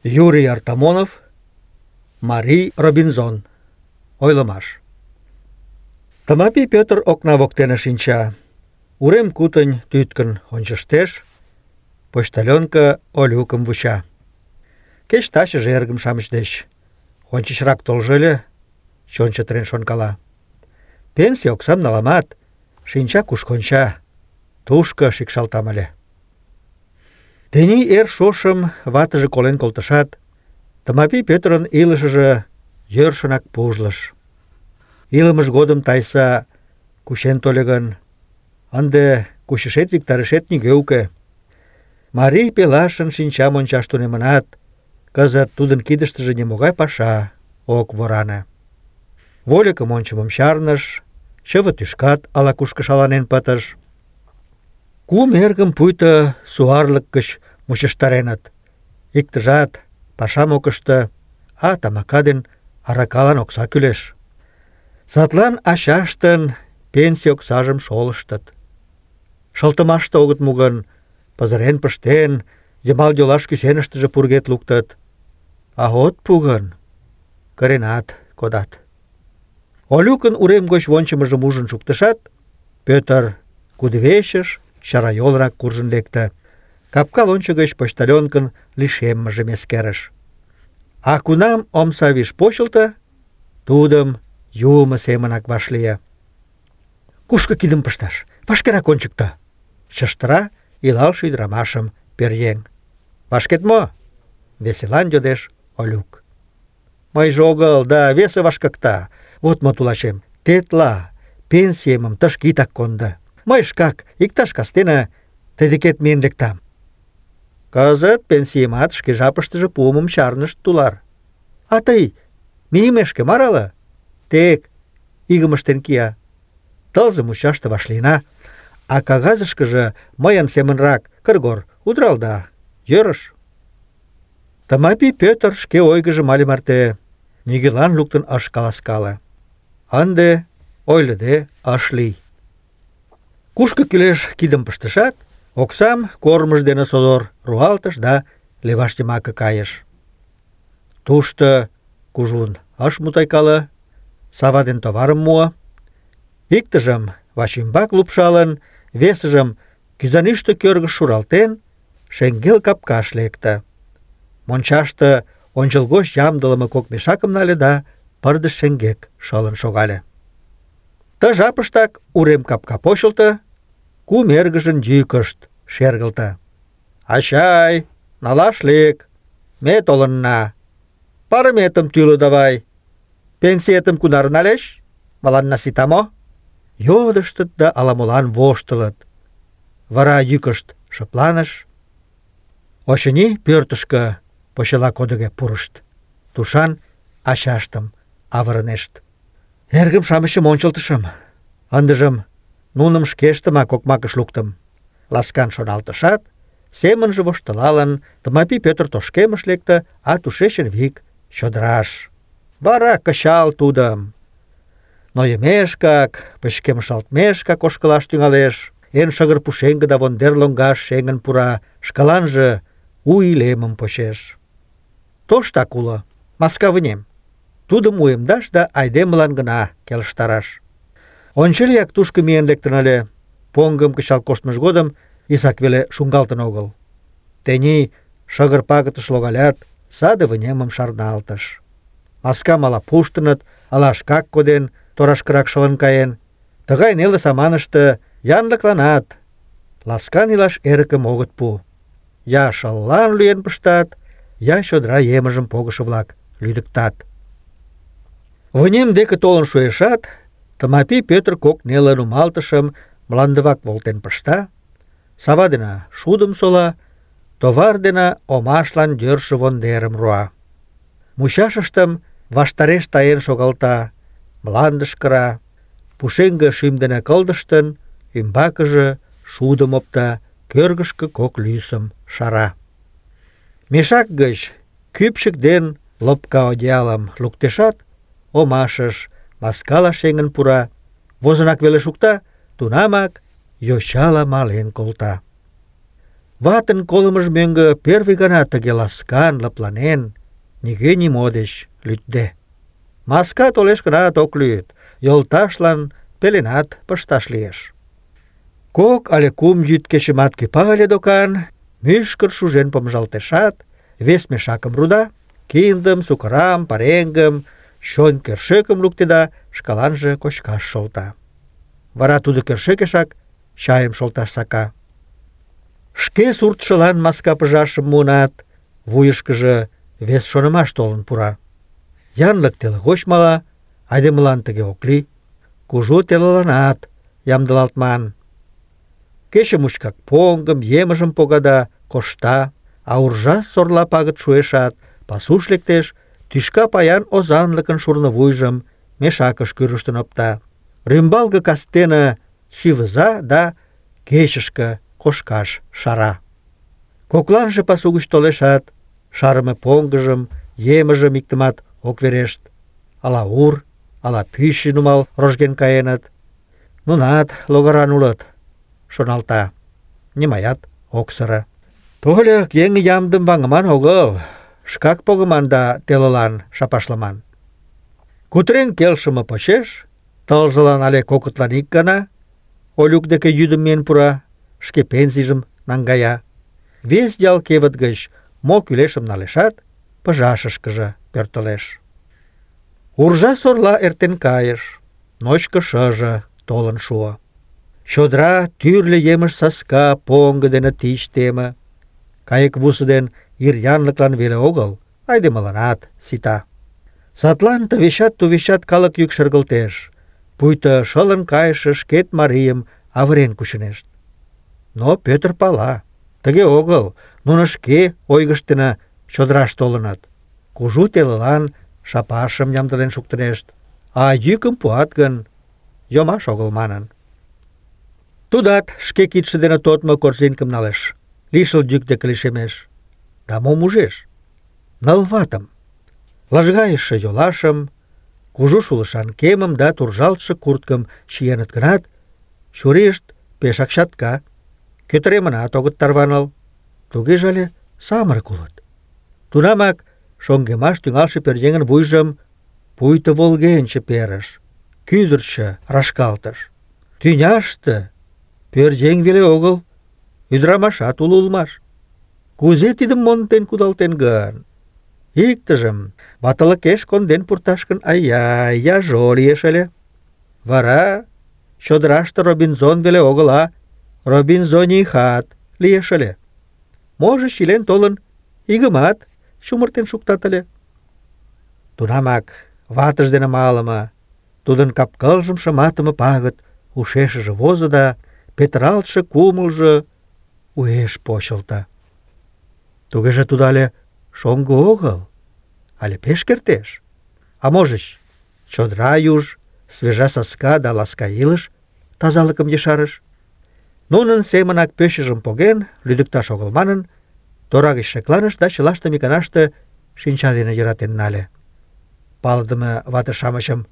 Юрий Артамонов, Марий Робинзон. Ойлымаш. Тымапи Пӧтыр окна воктене шинча. Урем кутынь тӱткын ончыштеш, почтальонка Олюкым вуча. Кеч тачыже эргым-шамыч деч ончычрак толжо ыле, чон чытырен шонкала. Пенсий оксам наламат, шинча куш конча, тушко шикшалтам ыле. Тений эр шошым ватыже колен колтышат, Тымапи Пӧтырын илышыже йӧршынак пужлыш. Илымыж годым тайса кучен тольо гын, ынде кучышет-виктарышет нигӧ уке. Марий пелашын шинчам ончаш тунемынат, кызыт тудын кидыштыже нимогай паша ок воране. Вольыкым ончымым чарныш, чыве тӱшкат ала-кушко шаланен пытыш. Кум эргым пуйто суарлык гыч мучыштареныт. Иктыжат пашам ок ыште, а тамака ден аракалан окса кӱлеш. Садлан ачаштын пенсий оксажым шолыштыт. Шылтымаште огыт му гын, пызырен пыштен, йымал-йолаш кӱсеныштыже пургед луктыт. А от пу гын, кыренат кодат. Олюкын урем гоч вончымыжым ужын шуктышат, Пӧтыр кудывечыш чарайолрак куржын лекте. Капка лончо гыч почтальонкын лишеммыжым эскерыш. А кунам омса виш почылто, тудым юмо семынак вашлие. «Кушко кидым пышташ? Вашкерак ончыкто!» — чыштыра илалше ӱдырамашым пӧръеҥ. «Вашкет мо?» — веселан йодеш Олюк. «Мыйже огыл, да весе вашкыкта. Вот мо, тулачем, тетла пенсиемым тышке итак кондо. Мый шкак иктаж кастене тый декет миен лектам». Кызыт пенсиемат шке жапыштыже пуымым чарнышт, тулар. А тый мийымешке марала, тек игым ыштен кия. Тылзе мучаште вашлийына, а кагазышкыже мыйын семынрак кыргор удыралда, йӧрыш. Тымапи Пӧтыр шке ойгыжым але марте нигӧлан луктын ыш каласкале. Ынде ойлыде ыш лий. Кушко кӱлеш кидым пыштышат, оксам кормыж дене содор руалтыш да леваш йымаке кайыш. Тушто кужун ыш мутайкале, сава ден товарым муо. Иктыжым вачӱмбак лупшалын, весыжым кӱзанӱштӧ кӧргыш шуралтен, шеҥгел капкаш лекте. Мончаште ончылгоч ямдылыме кок мешакым нале да пырдыж шеҥгек шылын шогале. Ты жапыштак урем капка почылто, кум эргыжын йӱкышт шергылте. «Ачай, налаш лек, ме толынна. Парыметым тӱлӧ давай. Пенсиетым кунар налеш? Мыланна сита мо?» Йодыштыт да ала-молан воштылыт. Вара йӱкышт шыпланыш. Очыни, пӧртышкӧ почела кодыге пурышт. Тушан ачаштым авырынешт. «Эргым-шамычым ончылтышым. Ындыжым нуным шкештымак окмакыш луктым», — ласкан шоналтышат, семынже воштылалын, Тымапи Пӧтыр тошкемыш лекте, а тушечын вик чодыраш. Вара кычал тудым. Нойымешкак, пычкемышалтмешкак ошкылаш тӱҥалеш, эн шыгыр пушеҥге да вондер лоҥгаш шеҥын пура, шкаланже у илемым почеш. Тоштак уло, маска вынем. Тудым уэмдаш да айдемылан гына келыштараш. Ончылияк тушко миен лектын ыле. Поҥгым кычал коштмыж годым исак веле шуҥгалтын огыл. Тений шыгыр пагытыш логалят, саде вынемым шарналтыш. Маскам ала пуштыныт, ала шкак коден, торашкырак шылын каен. Тыгай неле саманыште янлыкланат ласкан илаш эрыкым огыт пу. Я шыллан лӱен пыштат, я чодыра емыжым погышо-влак лӱдыктат. Вынем деке толын шуэшат, Тымапи Пӧтыр кок неле нумалтышым мландывак волтен пышта, сава дене шудым сола, товар дене омашлан йӧршӧ вондерым руа. Мучашыштым ваштареш таен шогалта, мландыш кыра, пушеҥге шӱм дене кылдыштын, ӱмбакыже шудым опта, кӧргышкӧ кок лӱсым шара. Мешак гыч кӱпчык ден лопка одеялым луктешат, омашыш маскала шеҥын пура, возынак веле шукта, тунамак йочала мален колта. Ватын колымыж мӧҥгӧ первый гана тыге ласкан, лыпланен, нигӧ нимо деч лӱдде. Маска толеш гынат ок лӱд, йолташлан пеленат пышташ лиеш. 2 але 3 йӱд кечымат кӱпа ыле докан, мӱшкыр шужен помыжалтешат, вес мешакым руда, киндым, сукырам, пареҥгым, чон кӧршӧкым луктеда, шкаланже кочкаш шолта. Вара тудо кӧршӧкешак чайым шолташ сака. Шке суртшылан маска пыжашым муынат, вуйышкыжо вес шонымаш толын пура. Янлык теле гоч мала, айдемылан тыге ок лий, кужу телыланат ямдылалтман. Кече мучкак поҥгым, емыжым погада, кошта, а уржа-сорла пагыт шуэшат, пасуш лектеш, тӱшка паян озанлыкын шурнывуйжым мешакыш кӱрыштын опта. Рӱмбалге кастене сӱвыза да кечышке кошкаш шара. Кокланже пасу гыч толешат, шарыме поҥгыжым, емыжым иктымат ок верешт. Ала ур, ала пӱчӧ нумал рожген каеныт. Нунат логаран улыт, шоналта. Нимаят ок сыре. Тольык еҥ ямдым ваҥыман огыл, шкак погыман да телылан шапашламан. Кутырен келшыме почеш, тылзылан але кокытлан ик гана Олюк деке йӱдым миен пура, шке пенсийжым наҥгая. Вес ял кевыт гыч мо кӱлешым налешат, пыжашышкыже пӧртылеш. Уржа-сорла эртен кайыш, ночко шыже толын шуо. Чодыра тӱрлӧ емыж саска, поҥго дене тич теме. Кайык вусо ден ир янлыклан веле огыл, айдемыланат сита. Садлан тывечат-тувечат калык йӱк шергылтеш, пуйто шылын кайыше шкет марийым авырен кучынешт. Но Пӧтыр пала, тыге огыл, нуно шке ойгышт дене чодыраш толыныт. Кужу телылан шапашым ямдылен шуктынешт, а йӱкым пуат гын, йомаш огыл манын. Тудат шке кидше дене тодмо корзинкым налеш, лишыл йӱк деке лишемеш. Да мом ужеш? 9 ватым, лыжгайыше йолашым, кужу шулышан кемым да туржалтше курткым чиеныт гынат, чурийышт пешак чатка, кӧтыремынат огыт тарваныл, тугеже але самырык улыт. Тунамак шоҥгемаш тӱҥалше пӧръеҥын вуйжым пуйто волгенче перыш, кӱдырчӧ рашкалтыш. Тӱняште пӧръеҥ веле огыл, ӱдырамашат уло улмаш. Кузе тидым монден кудалтен гын? Иктыжым ватылыкеш конден пурташ гын, ай-яй, яжо лиеш ыле. Вара чодыраште Робинзон веле огыл, а Робинзонихат лиеш ыле. Можыч, илен толын, игымат чумыртен шуктат ыле. Тунамак ватыж дене малыме, тудын кап-кылжым шыматыме пагыт ушешыже возо да петыралтше кумылжо уэш почылто. Тугеже тудо але шоҥго огыл, але пеш кертеш. А можыч, чодыра юж, свежа саска да ласка илыш тазалыкым ешарыш. Нунын семынак пӧчыжым поген, лӱдыкташ огыл манын, тора гыч шекланыш да чылаштым иканаште шинча дене йӧратен нале. Палыдыме вате-шамычым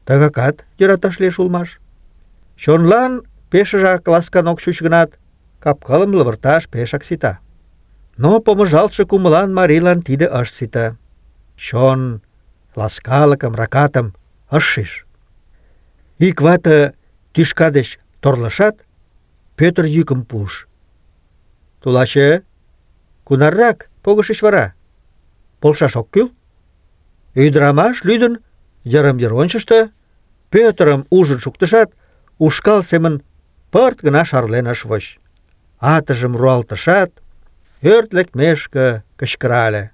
тыгакат йӧраташ лиеш улмаш. Чонлан пешыжак ласкан ок чуч гынат, кап-кылым лывырташ пешак сита. Но помыжалтше кумылан марийлан тиде ыш сите. Чон ласкалыкым, ракатым ыш шиж. Ик вате тӱшка деч торлышат, Пӧтыр йӱкым пуыш. Тулаче, кунаррак погышыч вара? Полшаш ок кӱл? Ӱдырамаш лӱдын йырым-йыр ончышто, Пӧтырым ужын шуктышат, ушкал семын пырт гына шарлен ыш воч. Атыжым руалтышат, ӧрт лекмешке кычкырале: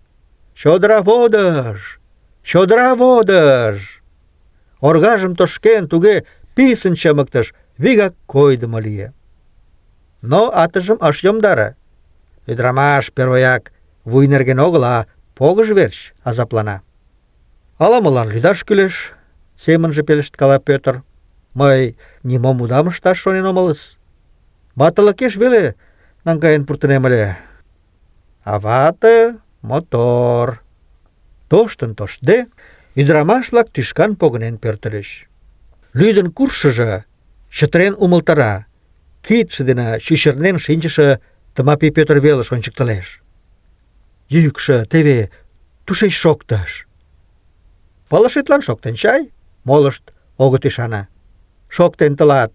«Чодыра водыж! Чодыра водыж!» Оргажым тошкен, туге писын чымыктыш, вигак койдымо лие. Но атыжым ыш йомдаре. Ӱдырамаш первояк вуй нерген огыл, а погыж верч азаплана. «Ала-молан лӱдаш кӱлеш», — семынже пелешткала Пӧтыр. «Мый нимом удам ышташ шонен омылыс. Ватылыкеш веле наҥгаен пуртынем ыле. А вате мотор». Тоштын-тоштде, ӱдырамаш-влак тӱшкан погынен пӧртыльыч. Лӱдын куржшыжо чытырен умылтара, кидше дене чӱчырнен шинчыше Тымапи Пӧтыр велыш ончыктылеш. Йӱкшӧ теве тушеч шоктыш. Пылышетлан шоктен чай? Молышт огыт ӱшане. Шоктен тылат,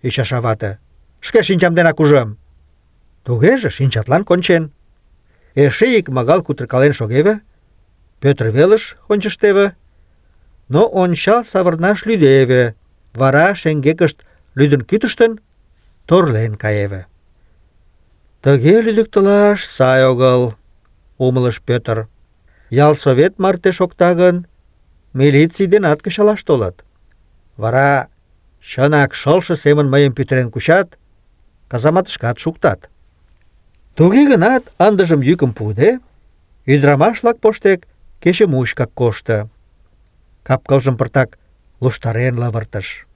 ӱчаша вате. Шке шинчам денак ужым. Тугеже шинчатлан кончен. Эше ик магал кутыркален шогеве, Пӧтыр велыш ончыштеве, но ончал савырнаш лӱдеве, вара шеҥгекышт лӱдын кӱтыштын, торлен каеве. Тыге лӱдыктылаш сай огыл, умылыш Пӧтыр. Ялсовет марте шокта гын, милиций денат кычалаш толыт. Вара чынак шылше семын мыйым пӱтырен кучат, казаматышкат шуктат. Туге гынат, ындыжым йӱкым пуыде, ӱдырамаш-влак поштек кече мучкак кошто. Кап-кылжым пыртак луштарен лывыртыш.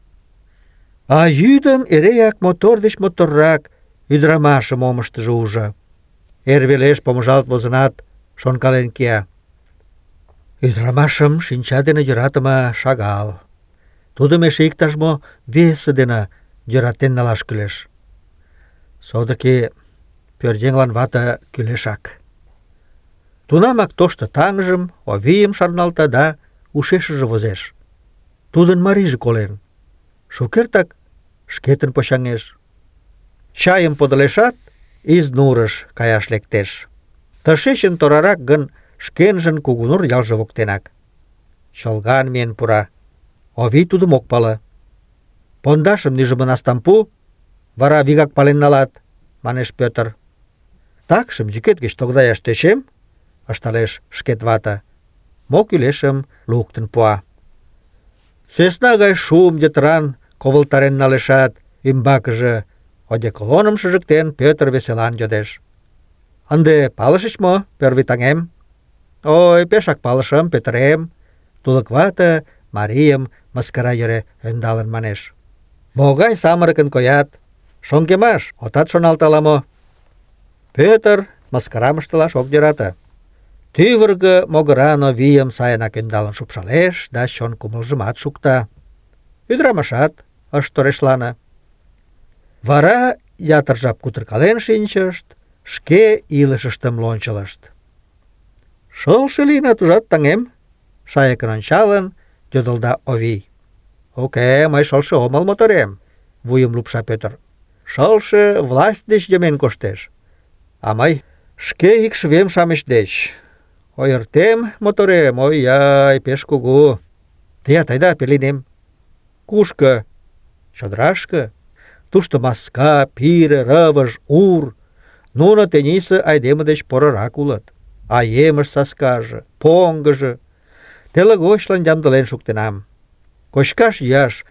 А йӱдым эреак мотор деч моторрак ӱдырамашым омыштыжо ужо. Эр велеш помыжалт возынат, шонкален кия. Ӱдырамашым шинча дене йӧратыме шагал. Тудым эше иктаж-мо весе дене йӧратен налаш кӱлеш. Содыки пӧръеҥлан вате кӱлешак. Тунамак тошто таҥжым, Овийым шарналта да ушешыже возеш. Тудын марийже колен. Шукертак шкетын почаҥеш. Чайым подылешат, Изнурыш каяш лектеш. Тышечын торарак гын, шкенжын Кугунур ялже воктенак. Чолган миен пура. Овий тудым ок пале. Пондашым нӱжымӧ настам пу, вара вигак пален налат, манеш Пӧтыр. Такшым йӱкет гыч тогдаяш тӧчем, ышталеш шкет вате. Мо кӱлешым луктын пуа. Сӧсна гай шуым йытыран ковылтарен налешат, ӱмбакыже одеколоным шыжыктен, Пӧтыр веселан йодеш. Ынде палышыч мо, пӧрвый таҥем? Ой, пешак палышым, Пӧтырем. Тулык вате марийым мыскара йӧре ӧндалын манеш. Могай самырыкын коят, шоҥгемаш отат шоналт ала-мо? Пӧтыр мыскарам ыштылаш ок йӧрате. Тӱвыргӧ могыран Овийым сайынак ӧндалын шупшалеш да чон кумылжымат шукта. Ӱдырамашат ыш торешлане. Вара ятыр жап кутыркален шинчышт, шке илышыштым лончылышт. Шылше лийынат, ужат, таҥем? Шайыкын ончалын, йодылда Овий. Уке, мый шылше омыл, моторем, вуйым лупша Пӧтыр. Шылше власть деч йымен коштеш. А мый шке икшывем-шамыч деч. Ойыртем, моторем, ой-яй, пеш кугу. Теат айда пеленем. Кушко? Чодырашке. Тушто маска, пире, рывыж, ур. Нуно тенийсе айдеме деч порырак улыт. А емыж саскаже, поҥгыжо. Теле гочлан ямдылен шуктенам. Кочкаш-йӱаш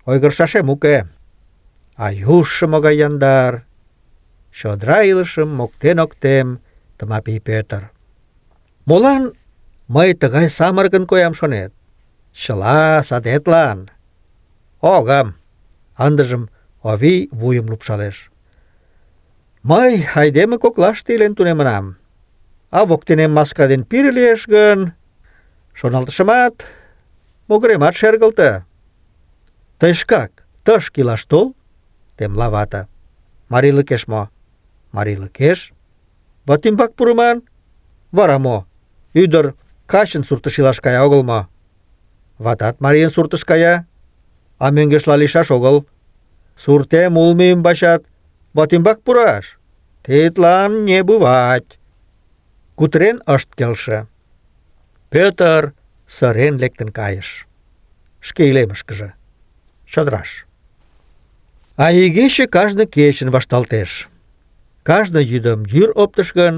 ойгырышашем уке. А южшо могай яндар. Чодыра илышым моктен-октем Тымапи Пӧтыр. Молан мый тыгай самырыкын коям шонет? Чыла садетлан. Огым. Ындыжым Овий вуйым лупшалеш. Мый айдеме коклаште илен тунемынам. А воктенем маска ден пире лиеш гын, шоналтышымат, могыремат шергылте. Тый шкак тышке илаш тол, темла вате. Марийлыкеш мо? Марийлыкеш? Ватӱмбак пурыман? Вара мо? Ӱдыр качын суртыш илаш кая огыл мо? Ватат марийын суртыш кая, а мӧҥгешла лийшаш огыл. Суртем улмо ӱмбачат ватӱмбак пураш? Тидлан не бывать. Кутырен ышт келше. Пӧтыр сырен лектын кайыш. Шке илемышкыже, чодыраш. А игече кажне кечын вашталтеш. Кажне йӱдым йӱр оптыш гын,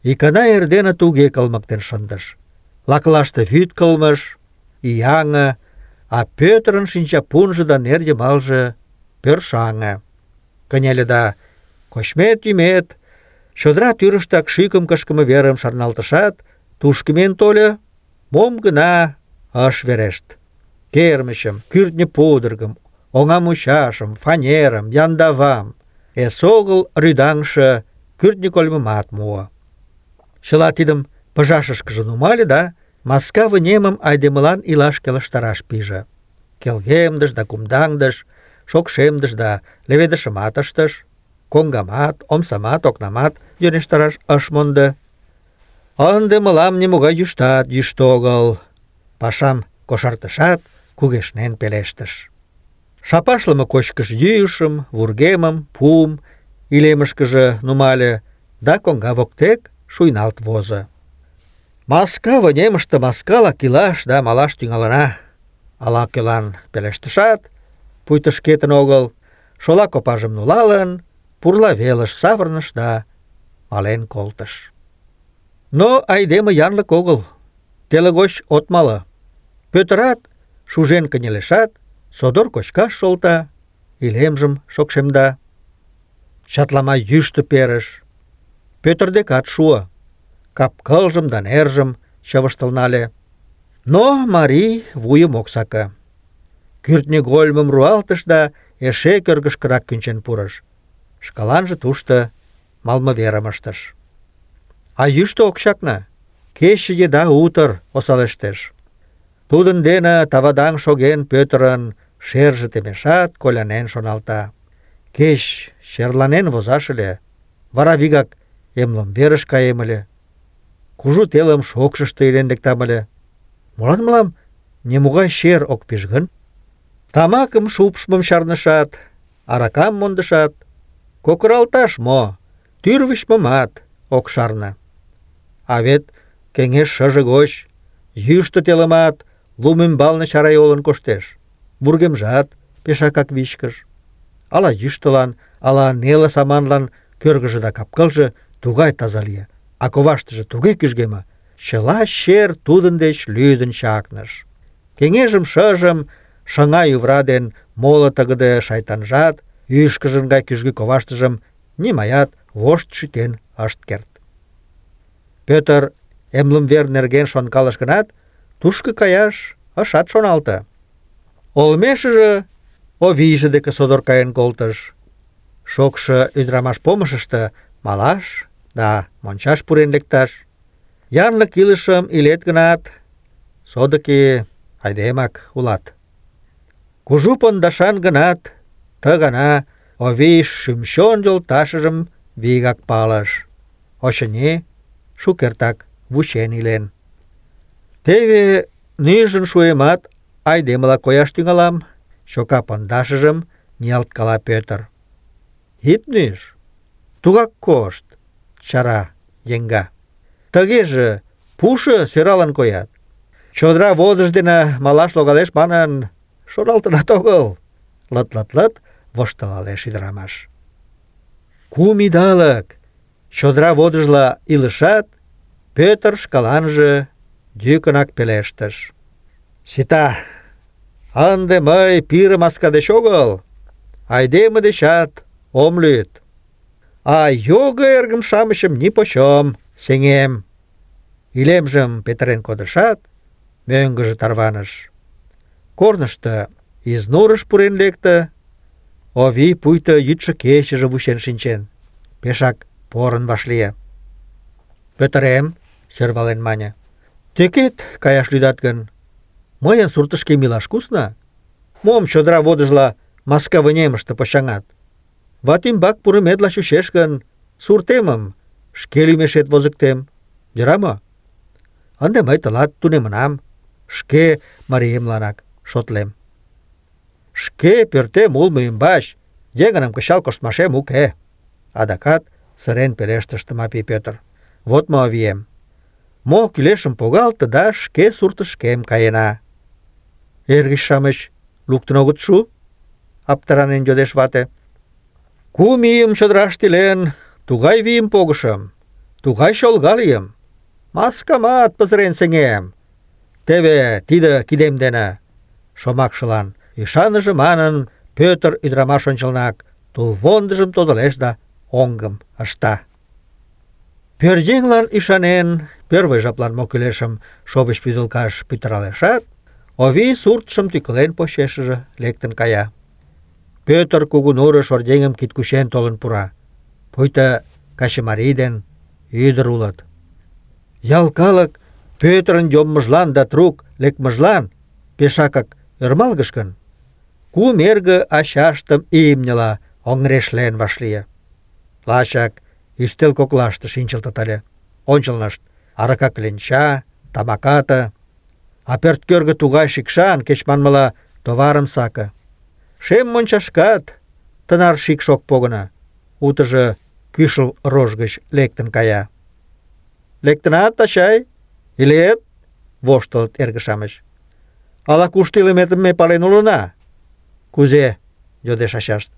икана эрдене туге кылмыктен шындыш. Лакылаште вӱд кылмыш, ияҥе, а Пӧтырын шинчапунжо да нер йымалже пӧршаҥе. Кынеле да кочмет-йӱмет, чодыра тӱрыштак шӱкым кышкыме верым шарналтышат, тушко миен тольо, мом гына ыш верешт. Кермычым, кӱртньӧ пудыргым, оҥа мучашым, фанерым, яндавам, эсогыл рӱдаҥше кӱртньӧ кольмымат муо. Чыла тидым пыжашышкыже нумале да маска вынемым айдемылан илаш келыштараш пиже. Келгемдыш да кумдаҥдыш, шокшемдыш да леведышымат ыштыш. коҥгамат, омсамат, окнамат йӧнештараш ыш мондо. Ынде мылам нимогай йӱштат йӱштӧ огыл. Пашам кошартышат, кугешнен пелештыш. Шапашлыме кочкыш-йӱышым, вургемым, пуым илемышкыже нумале да коҥга воктек шуйналт возо. Маска вынемыште маскала илаш да малаш тӱҥалына. Ала-кӧлан пелештышат, пуйто шкетын огыл, шола копажым нулалын, пурла велыш савырныш да мален колтыш. Но айдеме янлык огыл, теле гоч от мале. Пӧтырат шужен кынелешат, содор кочкаш шолта, илемжым шокшемда. Чатлама йӱштӧ перыш. Пӧтыр декат шуо. Кап-кылжым да нержым чывыштыл нале. Но марий вуйым ок саке. Кӱртньыгольмым руалтыш да эше кӧргышкырак кӱнчен пурыш. Шкаланже тушто малымверым ыштыш. А йӱштӧ ок чакне. Кече еда утыр осалештеш. Тудын дене тавадаҥ шоген Пӧтырын шерже темешат, колянен шоналта. Кеч черланен возаш ыле, вара вигак эмлымверыш каем ыле. Кужу телым шокшышто илен лектам ыле. Молан мылам нимогай чер ок пиж гын? Тамакым шупшмым чарнышат, аракам мондышат, кокыралташ мо, тӱрвычмымат ок шарне. А вет кеҥеж шыже гоч йӱштӧ телымат лум ӱмбалне чарайолын коштеш. Вургемжат пешакак вичкыж. Ала йӱштылан, ала неле саманлан кӧргыжӧ да кап-кылже тугай таза лие, а коваштыже туге кӱжгеме, чыла чер тудын деч лӱдын чакныш. Кеҥежым шыжым шыҥа ӱвыра ден моло тыгыде шайтанжат ӱшкыжын гай кӱжгӱ коваштыжым нимаят вошт шӱтен ышт керт. Пӧтыр эмлымвер нерген шонкалыш гынат, тушко каяш ышат шоналте. Олмешыже Овийже деке содор каен колтыш. Шокшо ӱдырамаш помышышто малаш да мончаш пурен лекташ. Янлык илышым илет гынат, содыки айдемак улат. Кужу пондашан гынат, ты гана Овий шӱм-чон йолташыжым вигак палыш. Очыни, шукертак вучен илен. Теве нӱжын шуэмат, айдемыла кояш тӱҥалам, чока пондашыжым ниялткала Пӧтыр. Ит нӱж, тугак кошт, чара еҥга. Тыгеже пушо сӧралын коят. Чодыра водыж дене малаш логалеш манын шоналтынат огыл. Лыт-лыт-лыт воштылалеш ӱдырамаш. 9 идалык чодыра водыжла илышат, Пӧтыр шкаланже йӱкынак пелештыш: «Сита, ынде мый пире маска деч огыл, айдеме дечат ом лӱд. А його эргым-шамычым нипочем сеҥем». Илемжым петырен кодышат, мӧҥгыжӧ тарваныш. Корнышто Изнурыш пурен лекте. Овий пуйто йӱдшӧ-кечыже вучен шинчен. Пешак порын вашлие. «Пӧтырем, — сӧрвален мане, — тӧкет каяш лӱдат гын, мыйын суртышкем илаш кусна. Мом чодыра водыжла маска вынемыште почаҥат? Ватӱмбак пурыметла чучеш гын, суртемым шке лӱмешет возыктем. Йӧра мо? Ынде мый тылат тунемынам, шке мариемланак шотлем. Шке пӧртем улмо ӱмбач еҥыным кычал коштмашем уке». Адакат сырен пелештыш Тымапи Пӧтыр. «Вот мо, авием, мо кӱлешым погалте да шке суртышкем каена». «Эргыч-шамыч луктын огыт шу?» — аптыранен йодеш вате. «9 ийым чодыраште илен, тугай вийым погышым, тугай чолга лийым. Маскамат пызырен сеҥем. Теве тиде кидем дене». Шомакшылан ӱшаныже манын, Пӧтыр ӱдырамаш ончылнак тулвондыжым тодылеш да оҥгым ышта. Пӧръеҥлан ӱшанен, пӧрвый жаплан мо кӱлешым шовыч вӱдылкаш пӱтыралешат, Овий суртшым тӱкылен почешыже лектын кая. Пӧтыр Кугу нурыш оръеҥым кидкучен толын пура. Пуйто качымарий ден ӱдыр улыт. Ял калык Пӧтырын йоммыжлан да трук лекмыжлан пешакак ӧрмалгыш гын, 9 эрге ачаштым имньыла оҥырешлен вашлие. Лачак ӱстел коклаште шинчылтыт ыле. Ончылнышт арака кленча, тамаката, а пӧрткӧргӧ тугай шикшан, кеч манмыла, товарым саке. Шем мончашкат тынар шикш ок погыно, утыжо кӱшыл рож гыч лектын кая. «Лектынат, ачай? Илет?» — воштылыт эрге-шамыч. «Ала-кушто илыметым ме пален улына». «Кузе?» — йодеш ачашт.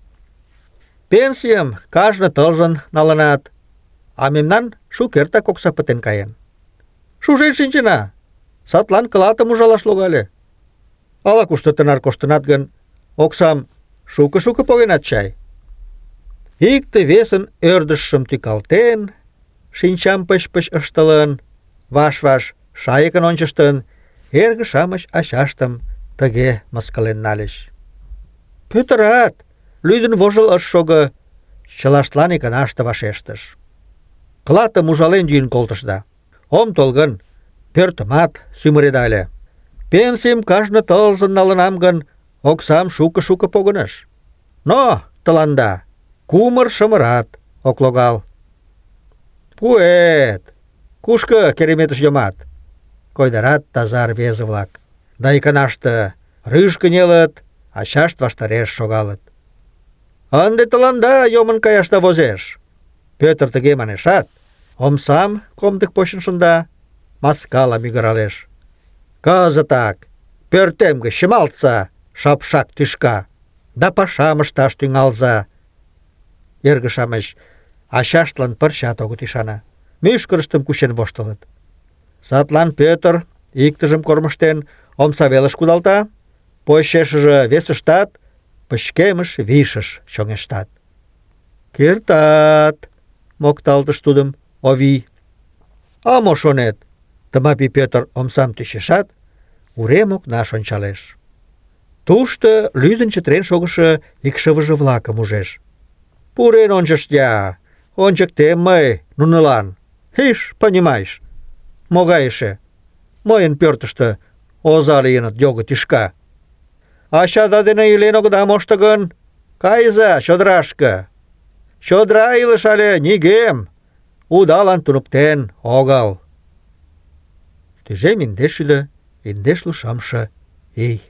«Пенсийым кажне тылзын налынат, а мемнан шукертак окса пытен каен. Шужен шинчена, садлан клатым ужалаш логале. Ала-кушто тынар коштынат гын, оксам шуко-шуко погенат чай». Икте-весын ӧрдыжшым тӱкалтен, шинчам пыч-пыч ыштылын, ваш-ваш шайыкын ончыштын, эрге-шамыч ачаштым тыге мыскылен нальыч. Пӧтырат лӱдын-вожыл ыш шого, чылаштлан иканаште вашештыш. «Клатым ужален йӱын колтышда. Ом тол гын, пӧртымат сӱмыредале. Пенсийым кажне тылзын налынам гын, оксам шуко-шуко погыныш. Но тыланда кумыр-шымырат ок логал». «Пуэт! Кушко кереметыш йомат?» — койдарат таза рвезе-влак. Да иканаште рӱж кынелыт, ачашт ваштареш шогалыт. «Ынде тыланда йомын каяшда возеш». Пӧтыр тыге манешат, омсам комдык почын шында, маскала мӱгыралеш. «Кызытак пӧртем гыч чымалтса, шапшак тӱшка, да пашам ышташ тӱҥалза». Эрге-шамыч ачаштлан пырчат огыт ӱшане. Мӱшкырыштым кучен воштылыт. Садлан Пӧтыр, иктыжым кормыжтен, омса велыш кудалта, почешыже весыштат пычкемыш вишыш чоҥештат. «Кертат!» — мокталтыш тудым Овий. «А мо шонет?» — Тымапи Пӧтыр омсам тӱчешат, урем окнаш ончалеш. Тушто лӱдын чытырен шогышо икшывыже-влакым ужеш. «Пурен ончышт-я! Ончыктем мый нунылан! Иш, понимаешь, могай эше! Мыйын пӧртыштӧ оза лийыныт його тӱшка! Ачада дене илен огыда мошто гын, кайыза чодырашке! Чодыра илыш але нигӧм удалан туныктен огыл». Тӱжем индешшӱдӧ индешлу шымше ий.